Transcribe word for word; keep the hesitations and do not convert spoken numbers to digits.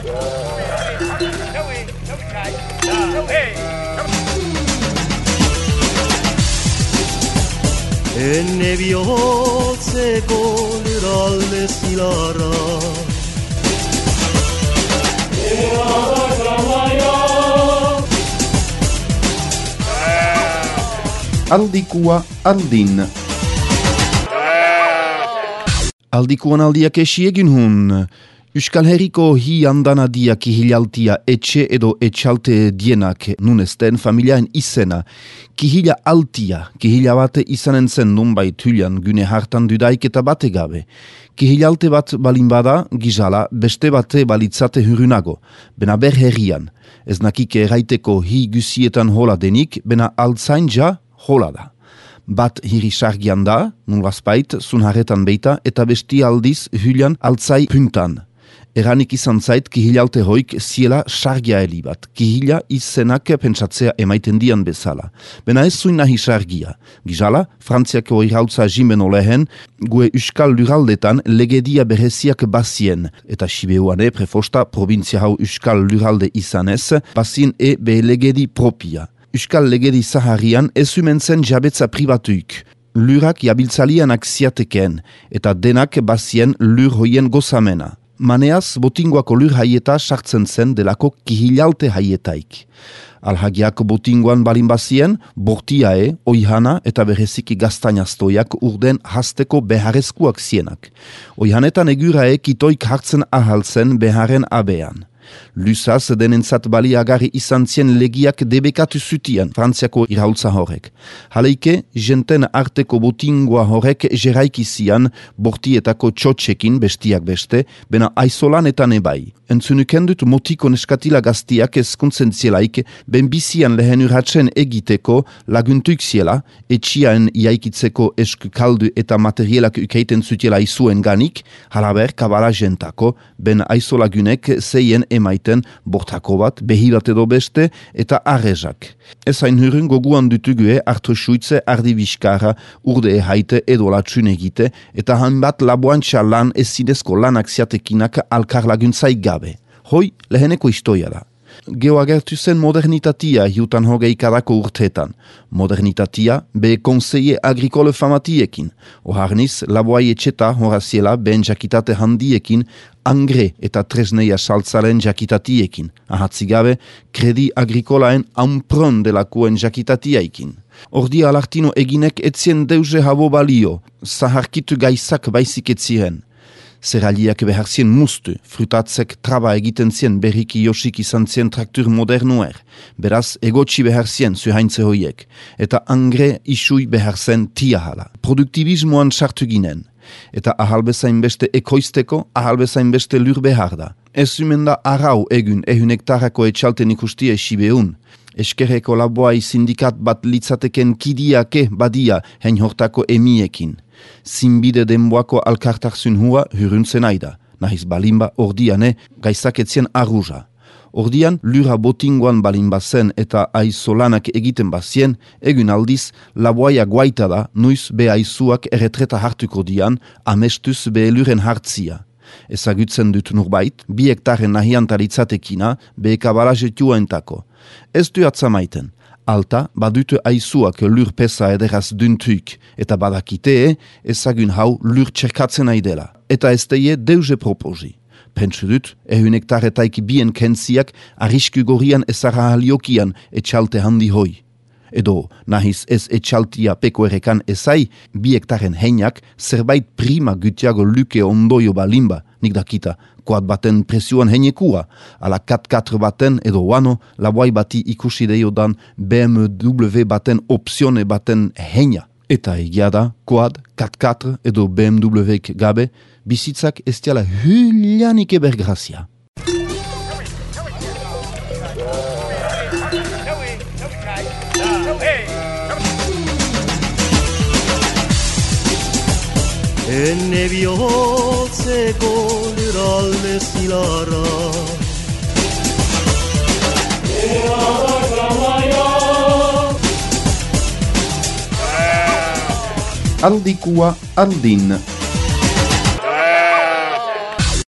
Ene bihotzeko lurralde zilarra Aldikua aldin Aldikuan aldiak esi egin hun. Euskal Herriko hi andanadiak kihilaltia etxe edo etxalte dienak nunesten familiaen izena. Kihila altia, kihila bate izanen zen nunbait hülian güne hartan dudaik eta bate gabe. Kihilalte bat balin bada, gizala, beste bate balitzate hurrunago, bena ber herrian. Ez nakike eraiteko hi gusietan hola denik, bena altzain ja hola da. Bat hiri sargian da, nulazpait, zunharretan beita, eta besti aldiz hülian altzai puntan. Eranik izan zait kihilalte hoik ziela sargia heli bat. Kihila izenak pentsatzea emaiten dian bezala. Bena ez zuin nahi sargia. Gizala, Frantziako irhautza jimeno lehen, gue Euskal Lurraldetan legedia bereziak bazien. Eta Sibeuane prefosta provintzia hau Euskal Lurralde izanez, bazien e be legedi propia. Euskal legedi zaharian ez zen jabetza pribatuik. Lurak jabiltzalianak ziateken, eta denak bazien lur hoien gozamena. Maneaz, botingoako lur haieta sartzen zen delako kihilalte haietaik. Alhagiak botingoan balin bazien, bortiae, oihana eta bereziki gaztainaztoiak urden hasteko beharrezkuak zienak. Oihanetan egurae kitoik hartzen ahaltzen beharen abean. Lusaz denentzat baliagarri izan zien legiak debekatu zutian Frantziako irhautza horrek. Haleike, jenten arteko botingoa horrek jeraiki zian bortietako txotxekin bestiak beste, bena aizolan eta nebai. Entzunuken dut motiko neskatila gaztiak ezkuntzen zielaik, ben bizian lehen urratzen egiteko laguntuik ziela, etxiaen iaikitzeko eskukaldu eta materielak ukeiten zutiela izuen ganik, halaber kabala jentako, ben aizolagunek zeien emaiten bortako bat, behi bat edo beste, eta arrezak. Ez hain hurren goguan dutugue hartu suitze ardi biskara, urde haite edo latxun egite, eta hanbat laboantxa lan ez zinezko lanak ziatekinak alkar laguntzaik gabe. Hoi, leheneko istoia da. Geo agertu zen modernitatia hiutan hogeikadako urteetan. Modernitatia be konseie agrikole famatiekin. Oharniz, laboai etxeta horaziela ben jakitate handiekin, angre eta tresneia saltzaren jakitatiekin. Ahatzigabe, kredi agrikolaen ampron delakuen jakitatiaikin. Ordia alartino eginek etzien deuze habo balio, zaharkitu gaizak baizik etziren. Zeraliak beharzien mustu, frutatzek traba egiten zien berriki josik izan zien traktur modernuer, beraz egotxi beharzien zuhaintze hoiek, eta angre isui beharzen tiahala. Produktibismoan sartu ginen, eta ahalbezain beste ekoizteko, ahalbezain beste lur behar da. Ez zumenda arau egun ehun hektarako etxalten ikustie Sibeun. Eskerreko laboai sindikat bat litzateken kidiake badia hein hortako emiekin. Zinbide denboako alkartarzun hua huruntzen aida, nahiz balimba ordiane gaizaketzien arruza. Ordian lura botingoan balimba zen eta aizolanak egiten bazien, egun aldiz laboaia guaita da nuiz be aizuak erretreta hartuko dian, amestuz be eluren hartzia. Ezagutzen dut nurbait, bi hektaren nahiantaritzatekina be ekabalazetua entako. Ez du atzamaiten. Alta, badutu aizuak lur pesa ederaz duntuik, eta badakitee ezagun hau lur txerkatzen aidela. Eta ez teie deuze proposi. Pentsu dut, ehun hektaretaik bien kentziak arrisku gorian ezara haliokian etxalte handi hoi. Edo, nahiz ez etxaltia peko erekan ezai, bi hektaren heinak zerbait prima gutiago luke ondoio balimba, nik dakita, kuat baten presioan heinekua, ala kat katr baten edo wano, laboai bati ikusi deiodan B M W baten opzione baten heina. Eta egia da, kuat, kat katr edo B M W-ek gabe, bizitzak ez diala hülianik ebergrazia. Ene bihotzeko lurralde zilarra Aldikua aldin